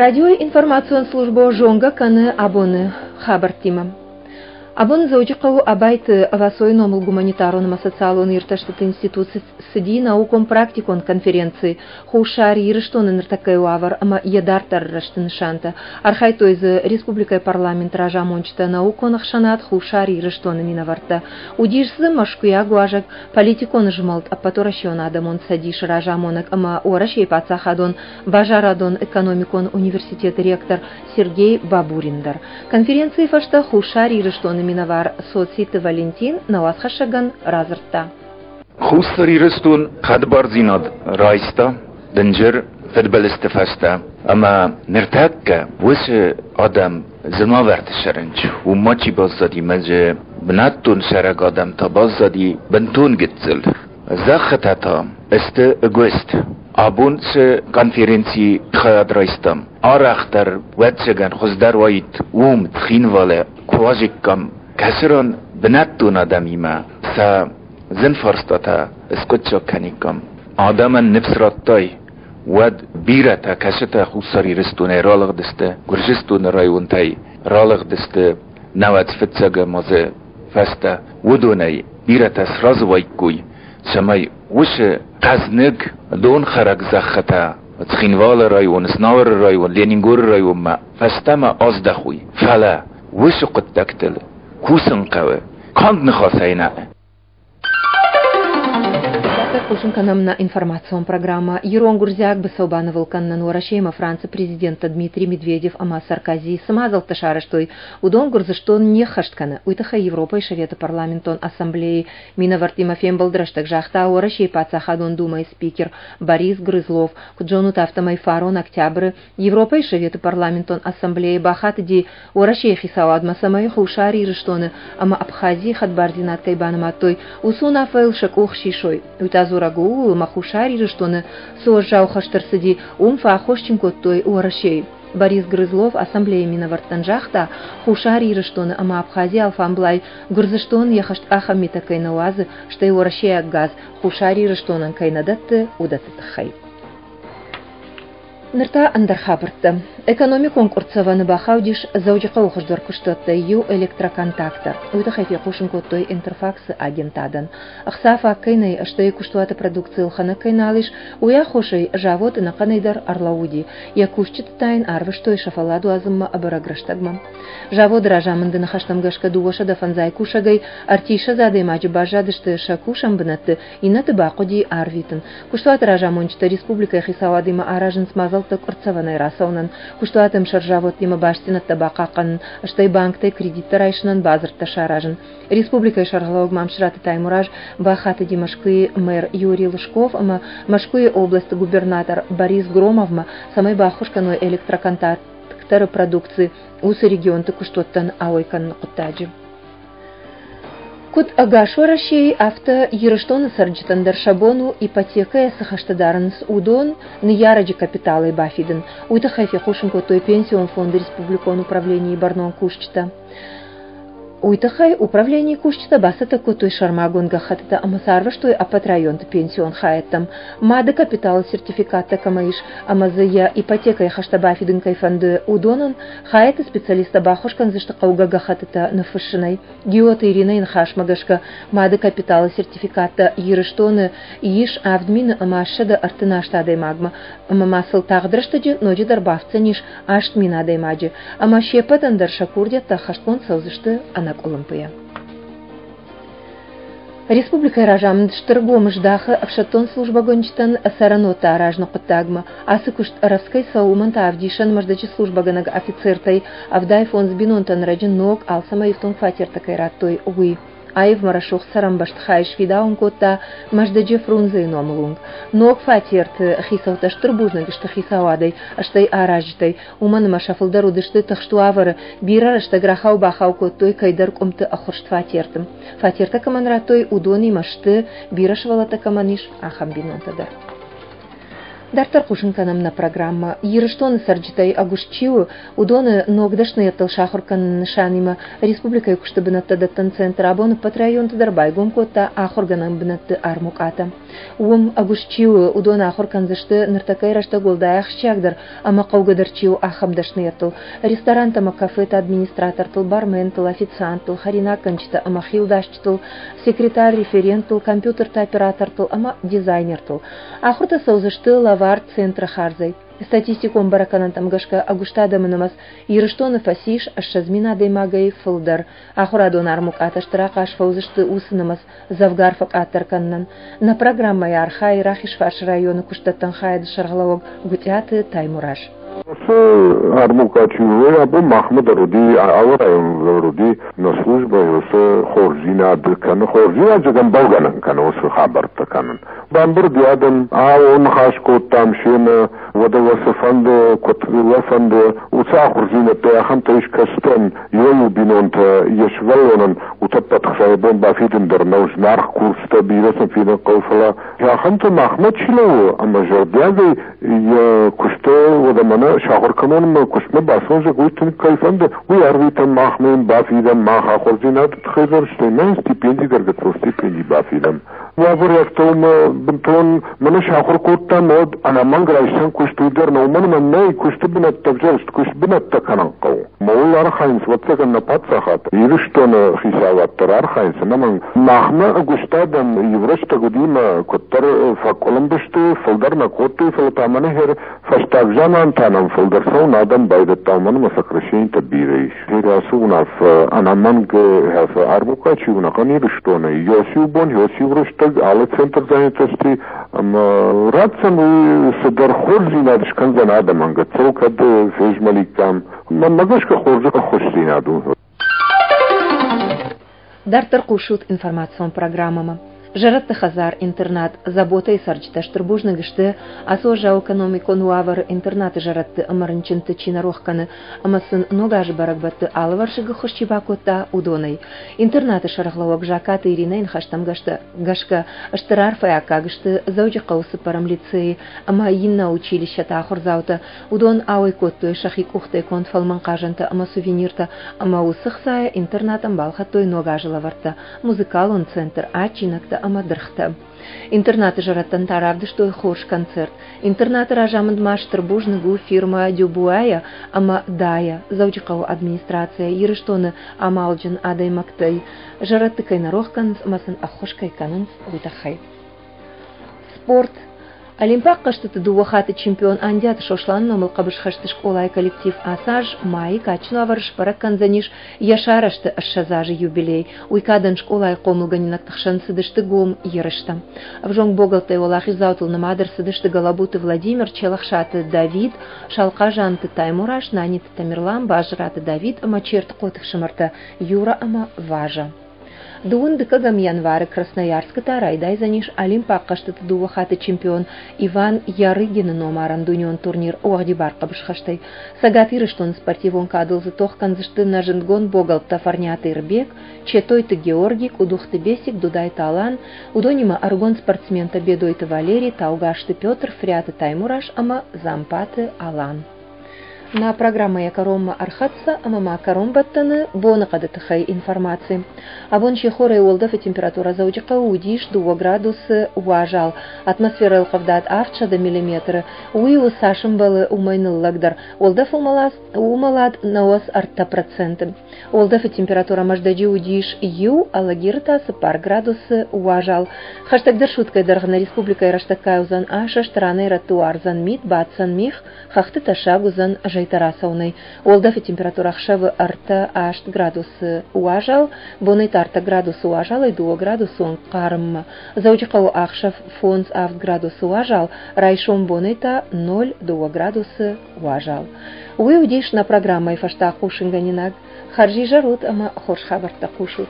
Радиойы информацион службӕ зонгӕ кӕны абоны хабӕрттимӕ. Абон Дзӕуджыхъӕуы Абайты Васойы номыл гуманитарон ӕмӕ социалон иртӕстыты институт цыди наукон-практикон конференци Хуссар Ирыстоны ныртӕккӕйы уавӕр ӕмӕ йӕ дарддӕры рӕзты нысантӕ. Архайдтой дзы республикӕйы парламенты разамонджытӕ, наукон ӕхсӕнад Хуссар Ирыстоны минӕвӕрттӕ. Уыдис дзы мӕскуыйаг уазӕг, политикон змӕлд Ӕппӕтуӕрӕсеон адӕмон цӕдисы разамонӕг ӕмӕ Уӕрӕсейы паддзахадон базарадон-экономикон университеты ректор Сергей Бабурин дӕр. Конференцийы фӕстӕ Хуссар Ирыстоны минӕвар Цоциты Валентин нӕ уацхӕссӕгӕн радзырдта. Хуссар Ирыстон хӕдбардзинад райста дынджыр фыдбылызты фӕстӕ ӕмӕ ныртӕккӕ уыцы адӕм зынавӕрты сӕрынч, уым ма чи баззади мӕ дзы бынӕттон цӕрӕг адӕм та баззади бынтон гыццыл. Зӕххытӕ та сты ӕгуыст. Абон цы конференцийы хайад райстам, арӕхдӕр, ӕвӕццӕгӕн, хуыздӕр уаид уым, Цхинвалы, куы уазиккам, кӕцы ран бынӕттон адӕмимӕ сӕ зын фарстатӕ скъуыддзаг кӕниккам. Адӕмӕн ныфс радтай, уӕд бирӕтӕ, кӕцытӕ Хуссар Ирыстонӕй ралыгъдысты, Гуырдзыстоны районтӕй ралыгъдысты науӕдз фыццӕгӕм азы фӕстӕ, уыдонӕй бирӕтӕ сразы уаиккой, цӕмӕй уыцы хъӕзныг донхӕрӕг зӕххытӕ Цхинвалы район, Знауыры район, Ленингоры районмӕ фӕстӕмӕ аздӕхой. Фӕлӕ уыцы хъуыддӕгтыл кусын хъӕуы, канд ныхасӕй нӕ. Дарддӕр хъусын кӕнӕм нӕ информацион программӕ. Ирон-гуырдзиаг быцӕу банывыл кӕнынӕн Уӕрӕсеимӕ Францы президенттӕ Дмитрий Медведев ӕмӕ Саркози цы мадзӕлттӕ сарӕзтой, уыдон Гуырдзыстон не ххӕст кӕны. Уый тыххӕй Европӕйы Советы парламентон ассамблейы минӕвӕрттимӕ фембӕлды рӕстӕг загъта Уӕрӕсейы Паддзахадон Думӕйы спикер Борис Грызлов. Куыд зонут, афтӕмӕй фарон октябры Европӕйы Советы парламентон ассамблейы бахатыди Уӕрӕсейы хицауадмӕ, цӕмӕй Хуссар Ирыстоны ӕмӕ Абхазийы хӕдбардзинад кӕй банымадтой, уыцы уынаффӕйыл сӕ къух сисой. Уый та дзурӕг у ууыл, ӕмӕ Хуссар Ирыстоны цы уӕззау хӕст ӕрцыди, уым фӕаххосджын кодтой Уӕрӕсейы. Борис Грызлов ассамблейы минӕвӕрттӕн загъта, Хуссар Ирыстоны ӕмӕ Абхазийы алфамблай Гуырдзыстон йӕ хӕсткъахӕн митӕ кӕй нӕ уадзы, стӕй уӕрӕсейаг газ Хуссар Ирыстонӕн кӕй нӕ дӕтты, уыдӕтты тыххӕй. Ныр та ӕндӕр хабӕрттӕ. Экономикон къуырццӕвӕны бахаудис Дзӕуджыхъӕуы хуыздӕр куыстуӕттӕй иу электроконтактор. Уый тыххӕй фехъусын кодтой Интерфаксы агентадӕн. Ӕхца фаг кӕй нӕй, стӕй куыстуаты продукци ӕлхӕнӕг кӕй нал ис, уый аххосӕй завод ӕнӕхъӕнӕй дӕр ӕрлӕууыди. Йӕ кусджыты та йын арвыстой сӕ фӕллад уадзынмӕ ӕбӕрӕг рӕстӕгмӕ. Заводы разамынды ныхӕстӕм гӕсгӕ 205 кусӕгӕй 30 адӕймаджы баззадысты сӕ кусӕн бынӕтты, иннӕты бахъуыди арвитын. Куыстуаты разамонджытӕ республикӕйы хицауадимӕ аразынц мадзӕлттӕ къуырццӕвӕнӕй рацӕуынӕн, куыстуаты ӕмсӕр заводтимӕ бастдзинӕдтӕ бахъахъхъӕнын, стӕй банктӕй кредиттӕ райсынӕн бадзырдтӕ саразын. Республикӕйы сӕргълӕууӕг Мамсыраты Таймураз бахатыди Мӕскуыйы мэр Юрий Лужков ӕмӕ Мӕскуыйы областы губернатор Борис Громовмӕ, цӕмӕй баххуыс кӕной электроконтакторы продукци уыцы регионты куыстуӕттӕн ауӕй кӕныны хъуыддаджы. Куыд ӕгас Уӕрӕсейы, афтӕ Ирыстоны цӕрджытӕн дӕр сӕ бон у ипотекӕйӕ цы хӕстӕ дарынц, уыдон ныййарӕджы капиталӕй бафидын. Уый тыххӕй фехъусын кодтой Пенсион фонды республикон управленийы бӕрнон кусджытӕ. Уый тыххӕй управленийы кусджытӕ бацӕттӕ кодтой сӕрмагонд гӕххӕттытӕ ӕмӕ сӕ арвыстой ӕппӕт районты пенсион хайӕдтӕм. Мады капиталы сертификаттӕ кӕмӕ ис ӕмӕ дзы йӕ ипотекӕйы хӕстӕ бафидын кӕй фӕнды, уыдонӕн Хайады специалисттӕ баххуыс кӕндзысты хъӕугӕ гӕххӕттытӕ ныффыссынӕй. Гиоты Иринӕйы ныхасмӕ гӕсгӕ, мады капиталы сертификаттӕ Ирыстоны ис 7000 ӕмӕ 138 адӕймагмӕ, ӕмӕ ма сыл тагъд рӕстӕджы ноджыдӕр бафтдзӕнис 8000 адӕймаджы, ӕмӕ се ппӕтӕн дӕр сӕ курдиӕттӕ ӕххӕстгонд цӕудзысты ӕнӕкъуылымпыйӕ. Республикӕйы разамынд стыр гом здахы ӕфсӕддон службӕгӕнджытӕн цӕрӕнуӕттӕ аразыны хъуыддагмӕ. Ацы куыст рӕвдз кӕй цӕуы, уымӕн та ӕвдисӕн Мӕздӕджы службӕгӕнӕг офицертӕй 75 бинонтӕн ӕрӕджы ног, алцӕмӕй ифтонг фатертӕ кӕй радтой, уый. Аив ма рӕсугъд цӕрӕн бӕстыхай сфидауын кодта Мӕздӕджы Фрунзейы номыл уынг. Ног фатерты хицӕуттӕ стыр бузныг сты хицауадӕй, стӕй аразджытӕй, уымӕн ӕмӕ сӕ фылдӕр уыдысты тыхст уавӕры, бирӕ рӕстӕг рахау-бахау кодтой кӕйдӕр къуымты ӕххуырст фатерты. Фатертӕ кӕмӕн радтой, уыдонимӕ сты, бирӕ сывӕллӕттӕ кӕмӕн ис, ахӕм бинонтӕ дӕр. Дарддӕр хъусын кӕнӕм нӕ программӕ. Ирыстоны цӕрджытӕй ӕгуыст чи у, уыдоны ног дӕсныйӕдтыл сахуыр кӕныны нысанимӕ республикӕйы куысты бынӕттӕ дӕттӕн центр абон ӕппӕт районты дӕр байгом кодта ахуыргӕнӕн бынӕтты армукъатӕ. Уым ӕгуыст чи у, уыдон ахуыр кӕндзысты ныртӕккӕйы рӕстӕг уӕлдай ахсджиагдӕр ӕмӕ хъӕугӕдӕр чи у, ахӕм дӕсныйӕдтыл. Ресторантӕ ӕмӕ кафеты администратортыл, барментыл, официанттыл, хӕринаггӕнджытӕ ӕмӕ хилдасджытыл, секретарь-референттыл, компьютерты оператортыл ӕмӕ дизайнертыл. Ахуыртӕ цӕудзысты лӕвар центры хардзӕй. Статистикон бӕрӕггӕнӕнтӕм гӕсгӕ ӕгуыст адӕмы нымӕц Ирыстоны фӕцис 20 мин адӕймагӕй фылдӕр. Ахуырадон армукъатӕ стыр ахъаз фӕуыдзысты уыцы нымӕц дзӕвгар фӕкъаддӕр кӕнынӕн. Нӕ программӕйы архайы Рахизфарсы районы куыстдӕттӕн хайады сӕргълӕууӕг Гуытъиаты Таймураз. Ацы армукъа чи у, абон махмӕ дӕр уыди, алы районы дӕр уыди нӕ службӕйы уыцы хорздзинад кӕны, хорздзинад зӕгъӕм, бӕлгӕнӕн кӕны уыцы хабӕрттӕ кӕнын. Бамбырд и адӕм, ау, ныхас кодтам семӕ, уӕдӕ уӕ цы фӕнды, куыд уӕ фӕнды, уыцы ахуырдзинӕдтӕй ахӕмтӕ ис кӕстӕн, иуӕй-иу бинонтӕ йӕ сывӕллонӕн утӕппӕт хцайы бон бафидын дӕр нӕу, зынаргъ курстӕ бирӕ сын фидын хъӕуы, фӕлӕ ахӕмтӕ махмӕ чи лӕууы ӕмӕ зӕрдиагӕй йӕ куысты уӕдӕ мӕнӕ сахуыр кӕнон куыстмӕ бацӕуон, зӕгъ, уый тынг кӕй фӕнды, уый арвитӕм, махмӕ йын бафидӕм, мах ахуырдзинады тыххӕй дӕр, стӕй ма йын стипенди дӕр гыццыл стипенди бафидӕм. Уавӕр афтӕ у ӕмӕ бынтон мӕнӕ сахуыр кодтам, уӕд ӕнӕмӕнг райсӕн куыст уый дӕр нӕ, уымӕн ӕмӕ нӕй куысты бынӕттӕ ӕвзӕрст куыст бынӕттӕ кӕнын хъӕуы. Мауыл архайынц, ӕвӕццӕгӕн, нӕ паддзахад, Ирыстоны хицауад дӕр архайынц, ӕнӕмӕнг. Махмӕ ӕгуыст адӕм иу рӕстӕг уыди мӕ куыддӕр фӕкъуылымпы сты, фылдӕр нӕ кодтой, фӕлӕ та мӕнӕ хер фӕстаг заман та нӕм фылдӕр цӕуын адӕм байдыдта, уымӕн ӕмӕ сокращенитӕ бирӕ ис. Ацы уынаффӕ ӕнӕмӕнг армукъа чи у ӕнӕхъӕн Ирыстоны, иу бон, иу рӕстӕг алы центр занятости ӕмӕ ратдзӕн уый цыдӕр хорздзинад скӕндзӕн адӕмӕн, гыццыл кӕд фезмӕликкам. Мӕнмӕ гӕсгӕ хорз ӕххуысдзинад у. Дарддӕр хъусут информацион программӕмӕ. Зӕрӕдты хӕдзар-интернат Забота-йы цӕрджытӕ стыр бузныг сты, ацы уӕззау экономикон уавӕры интернаты зӕрӕдты ӕмӕ рынчынты чи нӕ рох кӕны ӕмӕ сын Ног азы бӕрӕгбӕтты алывӕрсыг ӕххуыс чи бакодта, уыдонӕй. Интернаты сӕргълӕууӕг Закаты Иринӕйы ныхӕстӕм гӕсгӕ стыр арфӕйы аккаг сты Дзӕуджыхъӕуы цыппӕрӕм лицейы ӕмӕ иннӕ училищӕты ахуырдзаутӕ. Уыдон ауӕй кодтой сӕхи къухтӕй конд фӕлмӕн хъазӕнтӕ ӕмӕ сувениртӕ ӕмӕ уыцы хцайӕ интернатӕн балхӕдтой Ног азы лӕвӕрттӕ, музыкалон центр, адджинӕгтӕ ӕмӕ дыргътӕ. Интернаты зӕрӕдтӕн та равдыстой хорз концерт. Интернаты разамынд ма стыр бузныг у фирмӕ Дюбуайӕ ӕмӕ Дайӕ, Дзӕуджыхъӕуы администрацийӕ, Ирыстоны амалджын адӕймӕгтӕй. Зӕрӕдты кӕй нӕ рох кӕнынц ӕмӕ сын ӕххуыс кӕй кӕнынц, уый тыххӕй. Спорт. Олимпаг хъӕзтыты дыууӕ хатты чемпион Андиаты Сосланы номыл хъӕбысхӕсты скъолайы коллектив ацы аз майы кадджын уавӕры сбӕрӕг кӕндзӕнис йӕ сарӕзты 20 азы юбилей. Уый кадӕн скъолайы хъомылгӕнинӕгты хсӕн цыдысты гом ерыстӕ. Ӕвзонг богӕлттӕй уӕлахиздзаутыл нымад ӕрцыдысты Гӕлӕбуты Владимир, Челӕхсаты Давид, Салхъазанты Таймураз, Наниты Тамерлан, Базыраты Давид ӕмӕ Чертыхъоты фсымӕртӕ Юра ӕмӕ Важа. Дыууын дыккӕгӕм январы Красноярскы та райдайдзӕнис Олимпаг хъӕзтыты дыууӕ хатты чемпион Иван Ярыгины номарӕн дунеон турнир уӕгъдибар хъӕбысхӕстӕй. Цӕгат Ирыстоны спортивон кадыл дзы тох кӕндзысты нӕ зындгонд богӕлттӕ Фӕрниаты Ирбег, Четойты Георги, Къудухты Бесик, Дудайты Алан, уыдонимӕ ӕрыгон спортсментӕ Бедойты Валери, Таугазты Петр, Фриаты Таймураз ӕмӕ Дзампаты Алан. Нӕ программӕ йӕ кӕронмӕ ӕрхӕццӕ ӕмӕ ма кӕронбӕттӕны боныхъӕды тыххӕй информаци. Абон сихорӕй уӕлдӕфы температурӕ Дзӕуджыхъӕуы уыдис дыууӕ градусы уазал. Атмосферӕйыл къӕвдат 700 миллиметры. Уый у цас ӕмбӕлы, уымӕй ныллӕгдӕр. Уӕлдӕф уымӕлад 93%. Уӕлдӕфы температурӕ Мӕздӕджы уыдис иу, Алагиры та цыппар градусы уазал. Хӕстӕгдӕр суткӕйы дӕргъы нӕ республикӕйы рӕстӕггай уыдзӕн асӕст, ранӕй-рӕтты уардзӕн мит, баддзӕн мигъ, хӕхты тӕссаг уыдзӕн зӕйтӕ рацӕуынӕй. Уӕлдӕфы температурӕ ӕхсӕвы ӕртӕ аст градусы уазал, бонӕй та ӕртӕ градусы уазалӕй дыууӕ градусы онг хъарммӕ. Дзӕуджыхъӕуы ӕхсӕв фондз-авд градусы уазал, райсом бонӕй та ноль дыууӕ градусы уазал. Уый уыдис нӕ программӕйы фӕстаг хъусынгӕнинаг. Хӕрзизӕр ут ӕмӕ хорз хабӕрттӕ хъусут.